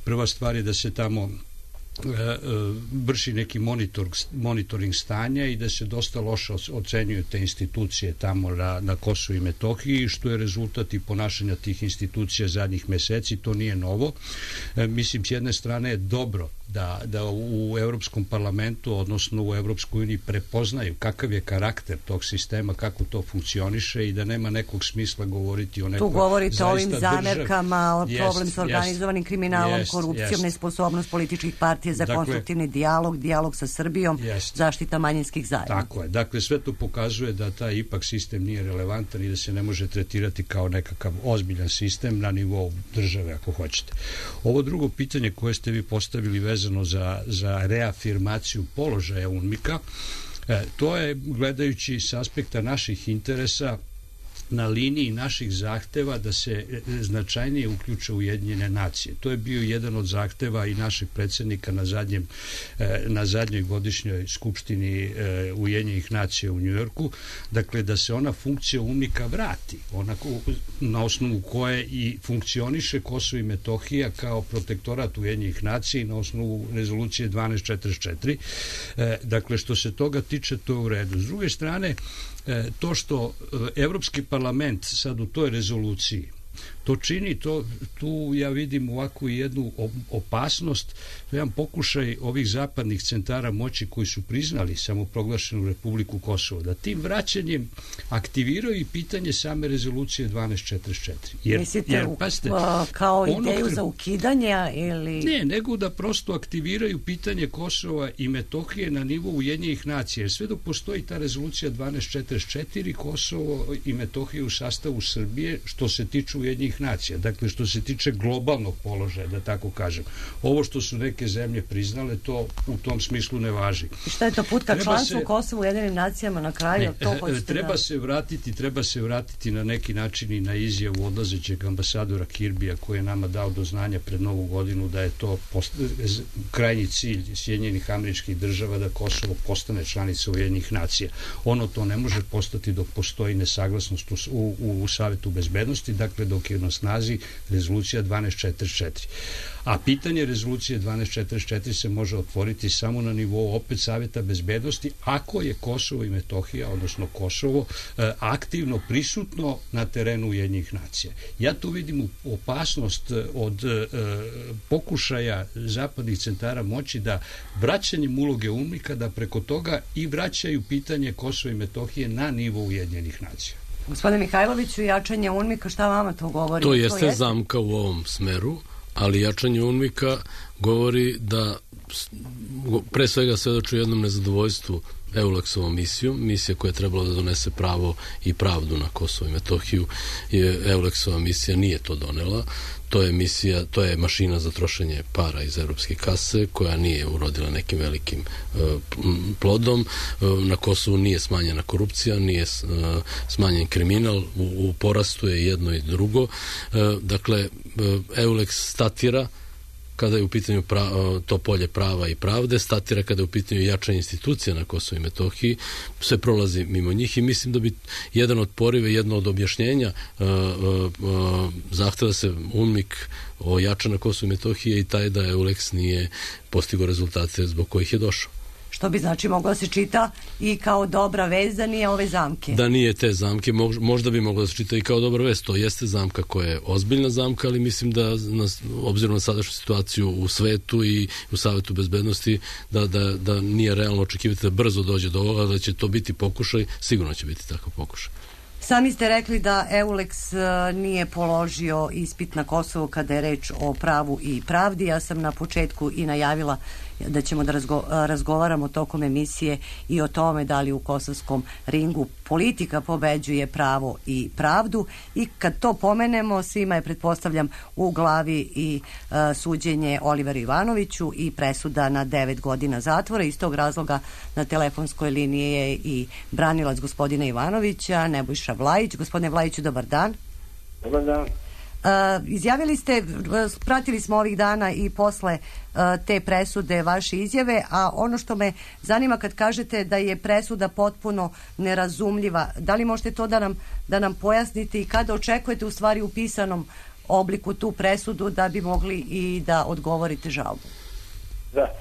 Prva stvar je da se tamo vrši neki monitoring stanja i da se dosta loše ocenjuju te institucije tamo na Kosovu i Metohiji, što je rezultat i ponašanja tih institucija zadnjih meseci. To nije novo. Mislim, s jedne strane je dobro da u Evropskom parlamentu, odnosno u Evropskoj uniji prepoznaju kakav je karakter tog sistema, kako to funkcioniše i da nema nekog smisla govoriti o nekoj zaista... Tu govorite o ovim zamerkama, problem s organizovanim kriminalom, korupcijom, nesposobnost političkih partija Partije za konstruktivni dijalog sa Srbijom, zaštita manjinskih zajednica. Tako je. Dakle, sve to pokazuje da taj ipak sistem nije relevantan i da se ne može tretirati kao nekakav ozbiljan sistem na nivou države, ako hoćete. Ovo drugo pitanje koje ste vi postavili vezano za reafirmaciju položaja UNMIK-a, to je, gledajući s aspekta naših interesa, na liniji naših zahteva da se značajnije uključe Ujedinjene nacije. To je bio jedan od zahteva i našeg predsjednika na zadnjoj godišnjoj skupštini Ujedinjenih nacija u Njujorku, dakle da se ona funkcija UNMIK-a vrati, na osnovu koje i funkcioniše Kosovo i Metohija kao protektorat Ujedinjenih nacija na osnovu rezolucije 1244. Dakle, što se toga tiče, to je u redu. S druge strane, to što Evropski parlament sad u toj rezoluciji to čini, tu ja vidim ovakvu jednu opasnost, jedan pokušaj ovih zapadnih centara moći koji su priznali samoproglašenu Republiku Kosovo, da tim vraćanjem aktiviraju i pitanje same rezolucije 1244. Mislite kao ideju za ukidanje ili... Ne, nego da prosto aktiviraju pitanje Kosova i Metohije na nivou Ujedinjenih nacija, jer sve dok postoji ta rezolucija 1244, Kosovo i Metohije u sastavu Srbije, što se tiče Ujedinjenih nacija, dakle što se tiče globalnog položaja, da tako kažem. Ovo što su neke zemlje priznale, to u tom smislu ne važi. I šta je to put ka članstvu Kosovu u Ujedinim nacijama na kraju? Treba se vratiti na neki način i na izjavu odlazećeg ambasadora Kirbija koji je nama dao do znanja pred Novu godinu da je to krajnji cilj Sjedinjenih Američkih Država da Kosovo postane članica Ujedinjenih nacija. Ono to ne može postati dok postoji nesaglasnost u Savetu bezbednosti, dakle dok je na snazi rezolucija 1244. A pitanje rezolucije 1244 se može otvoriti samo na nivou opet Saveta bezbednosti ako je Kosovo i Metohija, odnosno Kosovo, aktivno prisutno na terenu Ujedinjenih nacija. Ja tu vidim opasnost od pokušaja zapadnih centara moći da vraćanjem uloge UNMIK-a da preko toga i vraćaju pitanje Kosova i Metohije na nivou Ujedinjenih nacija. Gospodine Mihajloviću, jačanje UNMIK-a, šta vama to govori? To jeste zamka u ovom smeru, ali jačanje UNMIK-a govori da pre svega svedoči jednom nezadovoljstvu EULEX-ovom misija koja je trebala da donese pravo i pravdu na Kosovo i Metohiju. EULEX-ova misija nije to donela. To je mašina za trošenje para iz evropske kase koja nije urodila nekim velikim plodom. Na Kosovu nije smanjena korupcija, nije smanjen kriminal, u porastu je jedno i drugo. Dakle, EULEX statira kada je u pitanju to polje prava i pravde, statira kada je u pitanju jačanje institucija na Kosovu i Metohiji, sve prolazi mimo njih i mislim da bi jedan od porive, jedno od objašnjenja zahteva se UNMIK ojača na Kosovu i Metohiji i taj da EULEX nije postigao rezultate zbog kojih je došao. Što bi znači moglo se čita i kao dobra vez da nije ove zamke. Da nije te zamke, možda bi moglo da se čita i kao dobra vez. To jeste zamka koja je ozbiljna zamka, ali mislim da obzirom na sadašnju situaciju u svetu i u Savetu bezbednosti da nije realno očekivati da brzo dođe do ovoga, da će to biti pokušaj, sigurno će biti takav pokušaj. Sami ste rekli da EULEX nije položio ispit na Kosovu kada je reč o pravu i pravdi. Ja sam na početku i najavila da ćemo da razgovaramo tokom emisije i o tome da li u kosovskom ringu politika pobeđuje pravo i pravdu i kad to pomenemo svima je, pretpostavljam, u glavi i suđenje Oliveru Ivanoviću i presuda na 9 godina zatvora. Iz tog razloga na telefonskoj liniji je i branilac gospodina Ivanovića, Nebojša Vlajić. Gospodine Vlajiću, dobar dan. Dobar dan. Izjavili ste, pratili smo ovih dana i posle te presude vaše izjave, a ono što me zanima kad kažete da je presuda potpuno nerazumljiva, da li možete to da nam pojasnite i kada očekujete u stvari u pisanom obliku tu presudu da bi mogli i da odgovorite žalbu? Da,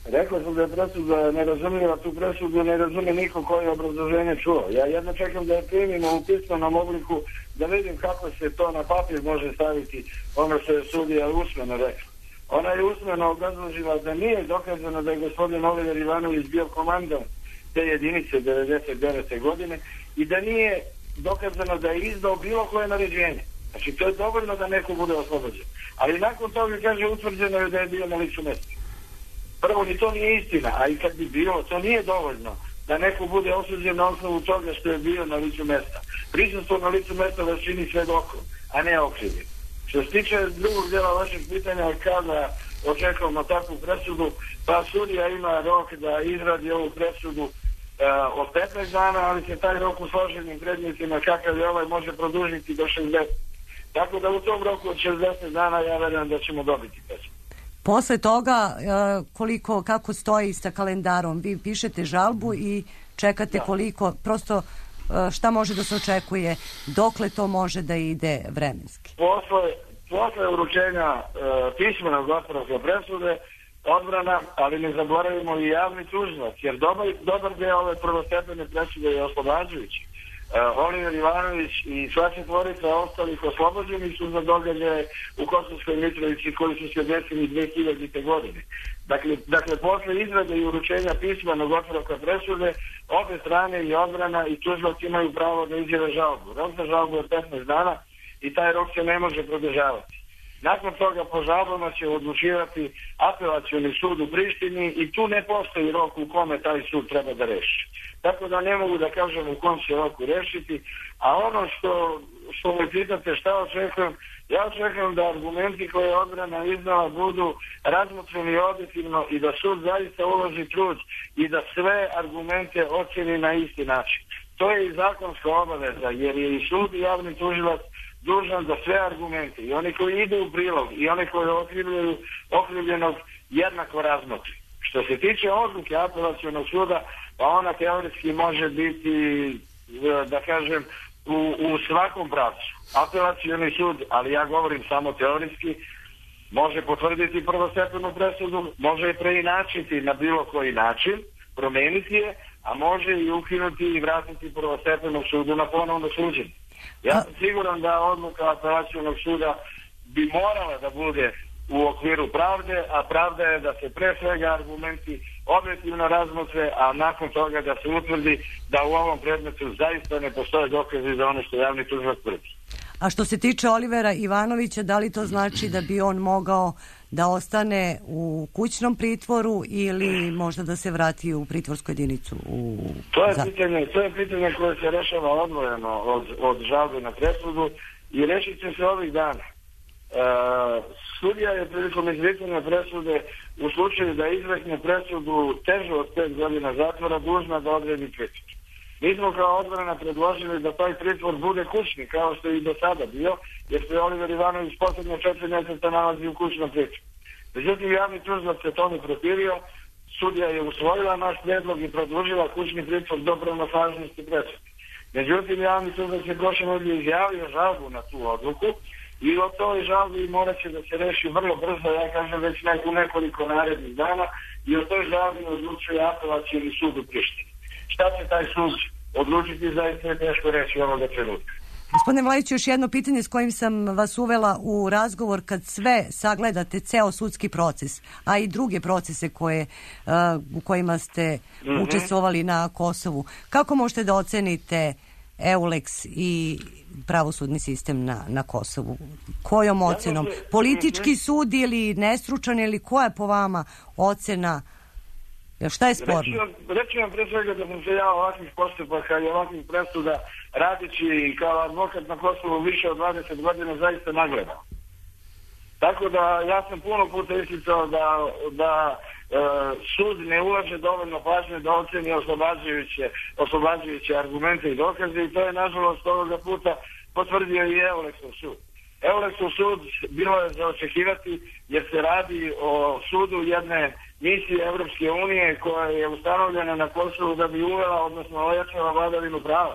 rekao sam da je presuda nerazumljiva, tu presudu ne razume niko koji je obrazloženje čuo. Ja jedno čekam da je primimo u pisanom obliku da vidim kako se to na papir može staviti ono što je sudija usmeno rekla. Ona je usmeno obrazložila da nije dokazano da je gospodin Oliver Ivanović bio komandant te jedinice 99. godine i da nije dokazano da je izdao bilo koje naređenje. Znači, to je dovoljno da neko bude oslobođen. Ali nakon toga, kaže, utvrđeno je da je bio na licu mesta. Prvo, ni to nije istina, a i kad bi bilo, to nije dovoljno da neko bude osuđen na osnovu toga što je bio na licu mesta. Prisustvo na licu mesta da čini svedokom, a ne okrivljen. Što se tiče drugog djela vašeg pitanja, kada očekujemo takvu presudu, pa sudija ima rok da izradi ovu presudu od 15 dana, ali se taj rok u složenim predmetima kakav je ovaj može produžiti do 60. Tako da u tom roku od 60 dana ja verujem da ćemo dobiti presudu. Posle toga, kako stoji sa kalendarom? Vi pišete žalbu i čekate koliko, prosto šta može da se očekuje, dokle to može da ide vremenski? Posle uručenja pismenog otpravka presude, odbrana, ali ne zaboravimo i javni tužilac, jer dobar deo ove prvostepene presude je oslobađajući. Oliver Ivanović i sva četvorica ostalih oslobođeni su za događaje u Kosovskoj Mitrovici koji su se desili 2000. godine. Dakle, posle izrade i uručenja pismenog otpravka presude, obe strane i odbrana i tužilac imaju pravo da izjave žalbu. Rok za žalbu je 15 dana i taj rok se ne može produžavati. Nakon toga po žalbama će odlučivati apelacioni sud u Prištini i tu ne postoji rok u kome taj sud treba da reši. Tako da ne mogu da kažem u kom će roku rešiti, a ono što me pitate šta očekujem, ja očekujem da argumenti koje je odbrana iznala budu razmotreni objektivno i da sud zaista uloži trud i da sve argumente oceni na isti način. To je i zakonska obaveza, jer je i sud i javni tužilac dužan da sve argumente, i oni koji idu u prilog i oni koji okrivljenog jednako razmotri. Što se tiče odluke apelacionog suda, pa ona teoretski može biti, da kažem, u svakom pravcu. Apelacioni sud, ali ja govorim samo teoretski, može potvrditi prvostepenu presudu, može je preinačiti na bilo koji način, promeniti je, a može i ukinuti i vratiti prvostepenog sudu na ponovno suđenje. Ja sam siguran da odluka apelacionog suda bi morala da bude u okviru pravde, a pravda je da se pre svega argumenti objektivno razmotre, a nakon toga da se utvrdi da u ovom predmetu zaista ne postoje dokazi za ono što javni tužilac tvrdi. A što se tiče Olivera Ivanovića, da li to znači da bi on mogao da ostane u kućnom pritvoru ili možda da se vrati u pritvorsku jedinicu? To je pitanje koje se rešava odvojeno od žalbe na presudu i rešit će se ovih dana. Sudija je prilikom izricanja presude u slučaju da izrekne presudu težu od 5 godina zatvora dužna da odredi pritvor. Mi smo kao odbrana predložili da taj pritvor bude kućni, kao što je i do sada bio, jer se Oliver Ivanović poslednje 4 mjeseca nalazi u kućnom pritvoru. Međutim, javni tužilac se to ne protivio, sudija je usvojila naš predlog i produžila kućni pritvor do pravnosnažnosti presude. Međutim, javni tužilac je prošle nedelje izjavio žalbu na tu odluku i o toj žalbi morat će da se reši vrlo brzo, ja kažem već u nekoliko narednih dana, i o toj žalbi odlučuje apelacioni sud u Prištini. Šta će taj sud odlučiti, zaista je teško reći ovoga trenutka. Gospodine Vlajiću, još jedno pitanje s kojim sam vas uvela u razgovor. Kad sve sagledate, ceo sudski proces, a i druge procese u kojima ste učestvovali na Kosovu, kako možete da ocenite EULEX i pravosudni sistem na Kosovu? Kojom ocenom? Politički sud ili nestručan, ili koja je po vama ocena? Šta je sporno? Reći vam pre svega da sam se ja ovakvih postupaka i ovakvih presuda radići kao advokat na Kosovu više od 20 godina zaista nagledao. Tako da ja sam puno puta isticao da sud ne ulaže dovoljno pažnje da oceni oslobađajuće argumente i dokaze, i to je nažalost ovoga puta potvrdio i EULEX-ov sud. EULEX-ov sud bilo je za očekivati jer se radi o sudu jedne misije Evropske unije koja je ustanovljena na Kosovu da bi uvela, odnosno ojačala vladavinu prava.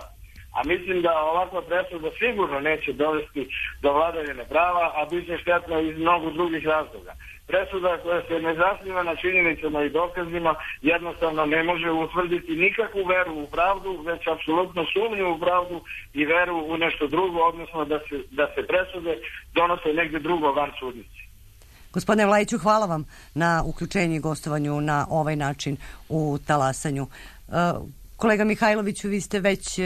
A mislim da ovakva presuda sigurno neće dovesti do vladavine prava, a bit će štetna iz mnogo drugih razloga. Presuda koja se ne zasniva na činjenicama i dokazima jednostavno ne može utvrditi nikakvu veru u pravdu, već apsolutno sumnju u pravdu i veru u nešto drugo, odnosno da se presude donose negde drugo van sudnici. Gospodine Vlajiću, hvala vam na uključenju i gostovanju na ovaj način u Talasanju. Kolega Mihajloviću, vi ste već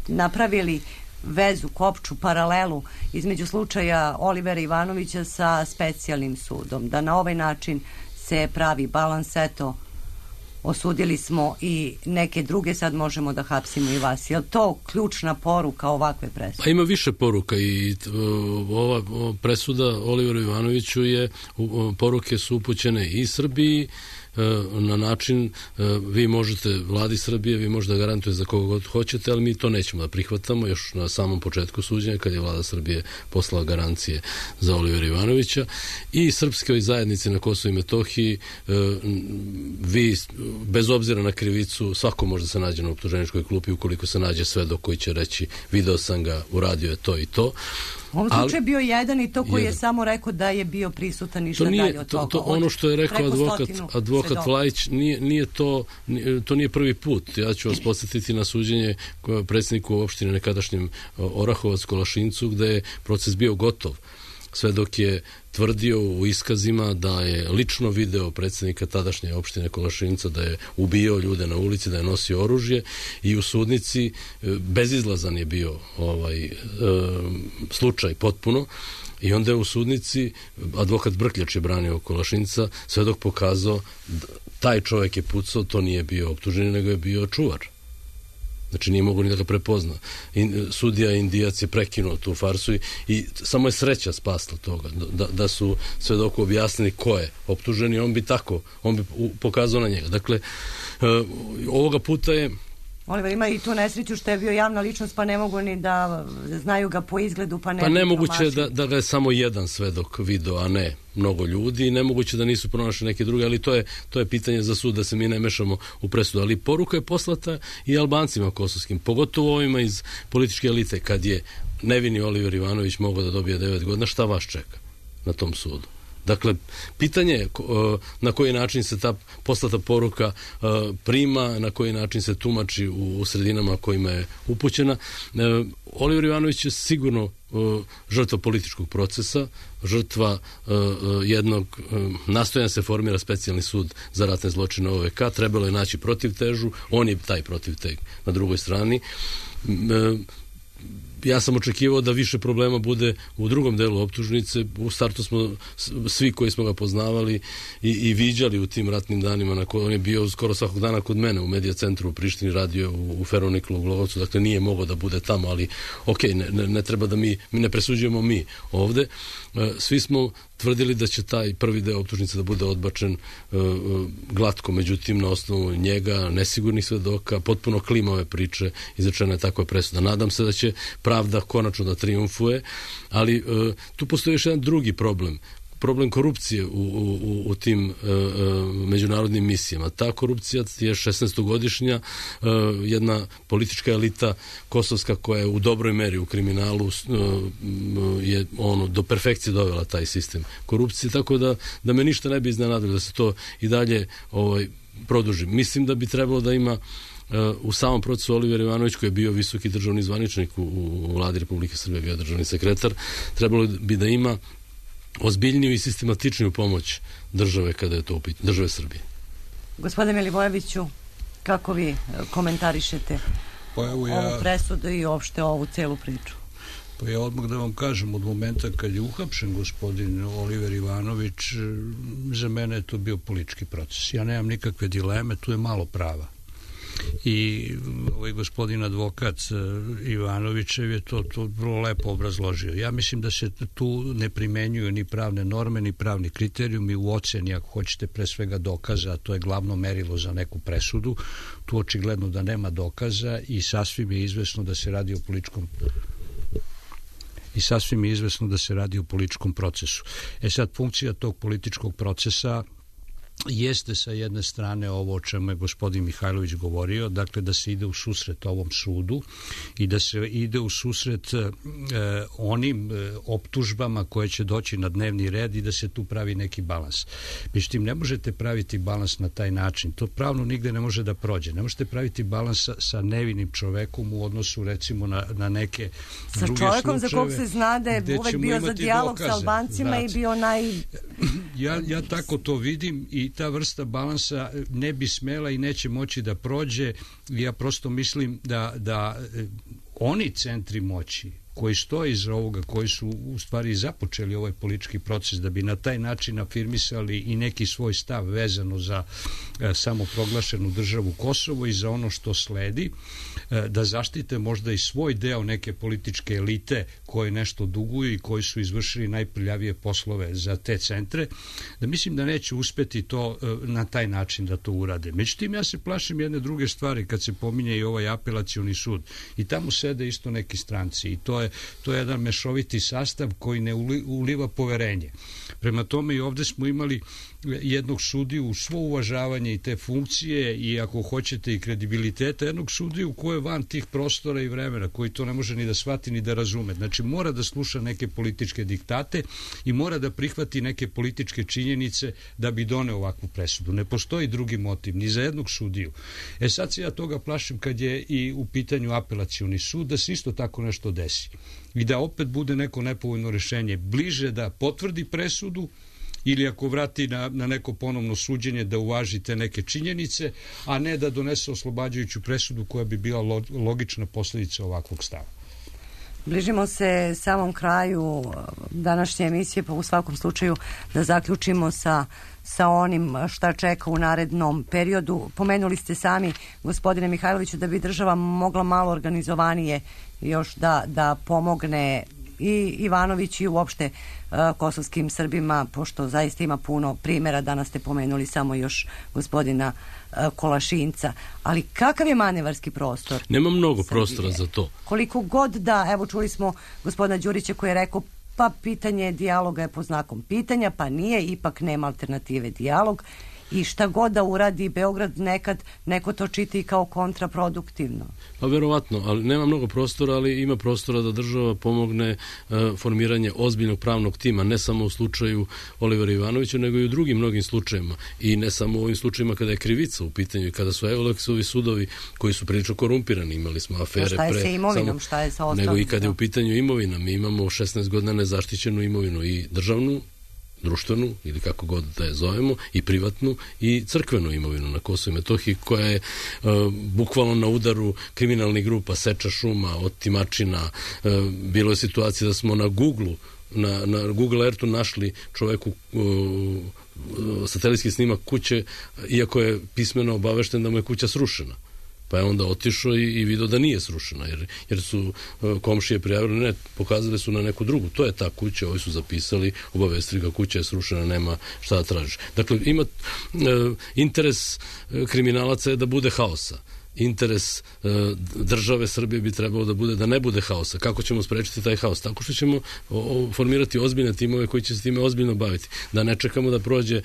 napravili vezu, kopču, paralelu između slučaja Olivera Ivanovića sa specijalnim sudom, da na ovaj način se pravi balans, eto, osudili smo i neke druge, sad možemo da hapsimo i vas. Je li to ključna poruka ovakve presude? Pa ima više poruka i ova presuda Oliveru Ivanoviću poruke su upućene i Srbiji na način vi možete, vladi Srbije, vi možete da garantujete za koga god hoćete, ali mi to nećemo da prihvatamo još na samom početku suđenja kad je vlada Srbije poslala garancije za Olivera Ivanovića i srpskoj zajednici na Kosovu i Metohiji vi, bez obzira na krivicu, svako može da se nađe na optuženičkoj klupi ukoliko se nađe svedok koji će reći video sam ga, uradio je to i to. U ovom slučaju je bio jedan i to koji je samo rekao da je bio prisutan ništa dalje od toga. Ono što je rekao advokat Vlajić, to nije prvi put. Ja ću vas podsjetiti na suđenje predsjedniku opštine nekadašnjem Orahovac Kolašincu, gde je proces bio gotov. Svedok je tvrdio u iskazima da je lično video predsjednika tadašnje opštine Kolašinca, da je ubijao ljude na ulici, da je nosio oružje i u sudnici bezizlazan je bio slučaj potpuno i onda je u sudnici advokat Brkljač je branio Kolašinca, svedok pokazao taj čovjek je pucao, to nije bio optuženi, nego je bio čuvar. Znači nije mogu ni da ga prepozna. Sudija Indijac je prekinuo tu farsu i samo je sreća spasla toga. Da su svedoku objasnili ko je optuženi, on bi pokazao na njega. Dakle, ovoga puta je Oliver ima i tu nesreću što je bio javna ličnost, pa ne mogu ni da znaju ga po izgledu, pa ne. Pa nemoguće je da ga je samo jedan svedok video, a ne mnogo ljudi, i nemoguće da nisu pronašli neke druge, ali to je pitanje za sud, da se mi ne mešamo u presudu. Ali poruka je poslata i Albancima kosovskim, pogotovo ovima iz političke elite, kad je nevini Oliver Ivanović mogao da dobije 9 godina, šta vas čeka na tom sudu? Dakle, pitanje je na koji način se ta poslata poruka prima, na koji način se tumači u sredinama kojima je upućena. Oliver Ivanović je sigurno žrtva političkog procesa, žrtva jednog nastojanja se formira specijalni sud za ratne zločine OVK, trebalo je naći protivtežu, on je taj protivteg na drugoj strani. Ja sam očekivao da više problema bude u drugom delu optužnice. U startu smo svi koji smo ga poznavali i viđali u tim ratnim danima, on je bio skoro svakog dana kod mene u Medija centru u Prištini, radio u Feroniklu u Glogovcu, dakle nije mogao da bude tamo, ali ne treba da mi ne presuđujemo mi ovde. Svi smo tvrdili da će taj prvi deo optužnice da bude odbačen glatko, međutim na osnovu njega, nesigurnih svedoka, potpuno klimave priče, izrečena je takva presuda. Nadam se da će pravda konačno da triumfuje, ali tu postoji još jedan drugi problem korupcije u tim međunarodnim misijama. Ta korupcija je 16-godišnja, jedna politička elita kosovska koja je u dobroj meri u kriminalu je do perfekcije dovela taj sistem korupcije, tako da me ništa ne bi iznenadilo da se to i dalje produži. Mislim da bi trebalo da ima u samom procesu Oliver Ivanović, koji je bio visoki državni zvaničnik u vladi Republike Srbije, bio državni sekretar, trebalo bi da ima ozbiljniju i sistematičniju pomoć države kada je to u pitanju, države Srbije. Gospodine Milivojeviću, kako vi komentarišete ovu presudu i uopšte ovu celu priču? Pa ja odmah da vam kažem, od momenta kad je uhapšen gospodin Oliver Ivanović, za mene je to bio politički proces. Ja nemam nikakve dileme, tu je malo prava. I ovaj gospodin advokat Ivanovićev je to vrlo lepo obrazložio. Ja mislim da se tu ne primenjuju ni pravne norme, ni pravni kriterijumi u oceni, ako hoćete, pre svega dokaza, a to je glavno merilo za neku presudu. Tu očigledno da nema dokaza i sasvim je izvesno da se radi o političkom procesu. Sad, funkcija tog političkog procesa jeste sa jedne strane ovo o čemu je gospodin Mihajlović govorio, dakle da se ide u susret ovom sudu i da se ide u susret onim optužbama koje će doći na dnevni red i da se tu pravi neki balans. Međutim, ne možete praviti balans na taj način. To pravno nigde ne može da prođe. Ne možete praviti balans sa nevinim čovekom u odnosu recimo na neke druge slučajeve. Sa čovekom za kog se zna da je uvek bio za dijalog sa Albancima i bio Ja tako to vidim i ta vrsta balansa ne bi smela i neće moći da prođe. Ja prosto mislim da oni centri moći koji stoje iza ovoga, koji su u stvari započeli ovaj politički proces, da bi na taj način afirmisali i neki svoj stav vezano za samoproglašenu državu Kosovo i za ono što sledi, da zaštite možda i svoj deo neke političke elite koje nešto duguju i koji su izvršili najprljavije poslove za te centre, da mislim da neće uspeti to na taj način da to urade. Međutim, ja se plašim jedne druge stvari kad se pominje i ovaj apelacioni sud. I tamo sede isto neki stranci i to je jedan mešoviti sastav koji ne uliva poverenje. Prema tome i ovde smo imali jednog sudiju, svo uvažavanje i te funkcije i ako hoćete i kredibiliteta, jednog sudiju koji je van tih prostora i vremena, koji to ne može ni da shvati ni da razume. Znači mora da sluša neke političke diktate i mora da prihvati neke političke činjenice da bi doneo ovakvu presudu. Ne postoji drugi motiv ni za jednog sudiju. Sad se ja toga plašim kad je i u pitanju apelacioni sud, da se isto tako nešto desi. I da opet bude neko nepovoljno rešenje. Bliže da potvrdi presudu ili ako vrati na neko ponovno suđenje da uvaži te neke činjenice, a ne da donese oslobađajuću presudu koja bi bila logična posljedica ovakvog stava. Bližimo se samom kraju današnje emisije, pa u svakom slučaju da zaključimo sa onim šta čeka u narednom periodu. Pomenuli ste sami, gospodine Mihajloviću, da bi država mogla malo organizovanije još da pomogne i Ivanović i uopšte kosovskim Srbima, pošto zaista ima puno primjera, danas ste pomenuli samo još gospodina Kolašinca. Ali kakav je manevarski prostor? Nema mnogo prostora za to. Koliko god da, evo čuli smo gospodina Đurića koji je rekao pa pitanje dijaloga je po znakom pitanja, pa nije, ipak nema alternative dijalog. I šta god da uradi Beograd, nekad neko to čiti kao kontraproduktivno. Pa verovatno, ali nema mnogo prostora, ali ima prostora da država pomogne formiranje ozbiljnog pravnog tima, ne samo u slučaju Olivera Ivanovića, nego i u drugim mnogim slučajima. I ne samo u ovim slučajima kada je krivica u pitanju i kada su Euleksovi sudovi koji su prilično korumpirani, imali smo afere šta je sa imovinom, šta je sa ostalim? Nego i kada je u pitanju imovina, mi imamo 16 godina nezaštićenu imovinu i državnu, društvenu ili kako god da je zovemo, i privatnu i crkvenu imovinu na Kosovu i Metohiji, koja je bukvalno na udaru kriminalnih grupa, seča šuma, otimačina. Bilo je situacija da smo na Google Earthu našli čoveku satelitski snimak kuće, iako je pismeno obavešten da mu je kuća srušena. Pa je onda otišao i vidio da nije srušena, jer su komšije prijavili, ne, pokazali su na neku drugu. To je ta kuća, ovi su zapisali, obavestili ga, kuća je srušena, nema šta da tražiš. Dakle, ima interes kriminalaca je da bude haosa. Interes države Srbije bi trebalo da bude da ne bude haosa. Kako ćemo sprečiti taj haos? Tako što ćemo formirati ozbiljne timove koji će se time ozbiljno baviti. Da ne čekamo da prođe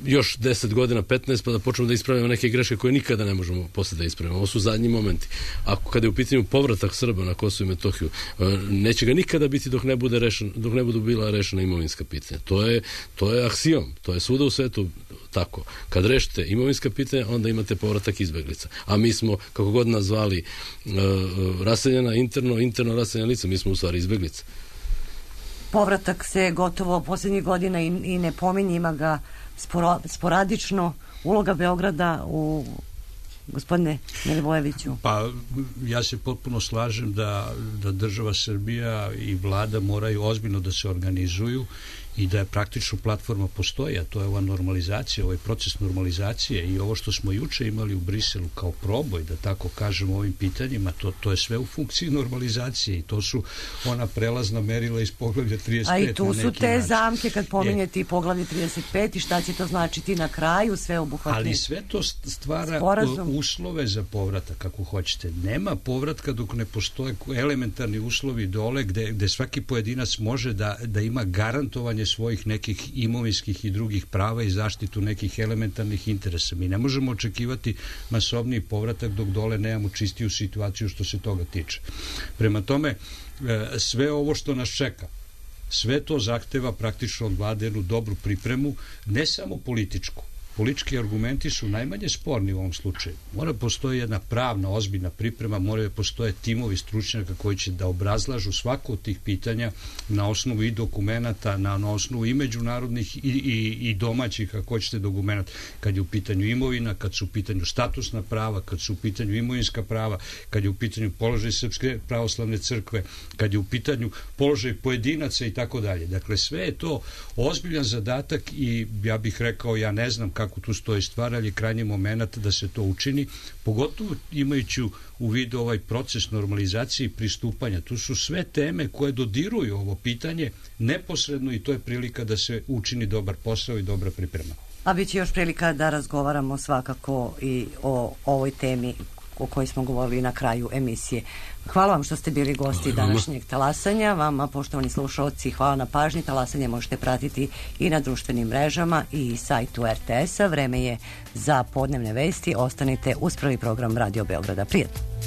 još 10 godina, 15, pa da počnemo da ispravimo neke greške koje nikada ne možemo posle da ispravimo. Ovo su zadnji momenti. Ako kada je u pitanju povratak Srba na Kosovo i Metohiju, neće ga nikada biti dok ne budu bila rešena imovinska pitanja. To je aksijom. To je svuda u svetu tako. Kad rešite imovinska pitanja, onda imate povratak izbeglica. A mi smo, kako god nazvali, raseljena interno raseljena lica, mi smo u stvari izbeglica. Povratak se gotovo posljednjih godina i ne pominje, ima ga sporadično. Uloga Beograda u gospodine Milivojeviću? Pa ja se potpuno slažem da država Srbija i vlada moraju ozbiljno da se organizuju i da je praktično platforma postoji, a to je ova normalizacija, ovaj proces normalizacije i ovo što smo juče imali u Briselu kao proboj, da tako kažem, ovim pitanjima, to je sve u funkciji normalizacije i to su ona prelazna merila iz poglavlja 35. A i tu su te zamke kad pominjete i poglavlje 35 i šta će to značiti na kraju, sve obuhvatne. Ali sve to stvara uslove za povratak, kako hoćete. Nema povratka dok ne postoje elementarni uslovi dole gde svaki pojedinac može da ima garantovanje svojih nekih imovinskih i drugih prava i zaštitu nekih elementarnih interesa. Mi ne možemo očekivati masovniji povratak dok dole nemamo čistiju situaciju što se toga tiče. Prema tome, sve ovo što nas čeka, sve to zahteva praktično od vlade jednu dobru pripremu, ne samo političku, politički argumenti su najmanje sporni u ovom slučaju. Mora postoji jedna pravna, ozbiljna priprema, moraju postoje timovi stručnjaka koji će da obrazlažu svako od tih pitanja na osnovu i dokumenata, na osnovu i međunarodnih i domaćih, ako hoćete, dokumenata, kad je u pitanju imovina, kad su u pitanju statusna prava, kad su u pitanju imovinska prava, kad je u pitanju položaj Srpske pravoslavne crkve, kad je u pitanju položaj pojedinaca i tako dalje. Dakle, sve je to ozbiljan zadatak i ja bih rekao, ja ne znam kako tu stoji stvar, ali je krajnji moment da se to učini, pogotovo imajući u vidu ovaj proces normalizacije i pristupanja. Tu su sve teme koje dodiruju ovo pitanje neposredno i to je prilika da se učini dobar posao i dobra priprema. A bit će još prilika da razgovaramo svakako i o ovoj temi o kojoj smo govorili na kraju emisije. Hvala vam što ste bili gosti današnjeg talasanja. Vama, poštovani slušalci, hvala na pažnji. Talasanje možete pratiti i na društvenim mrežama i sajtu RTS-a. Vreme je za podnevne vesti. Ostanite uz prvi program Radio Beograda. Prijetno.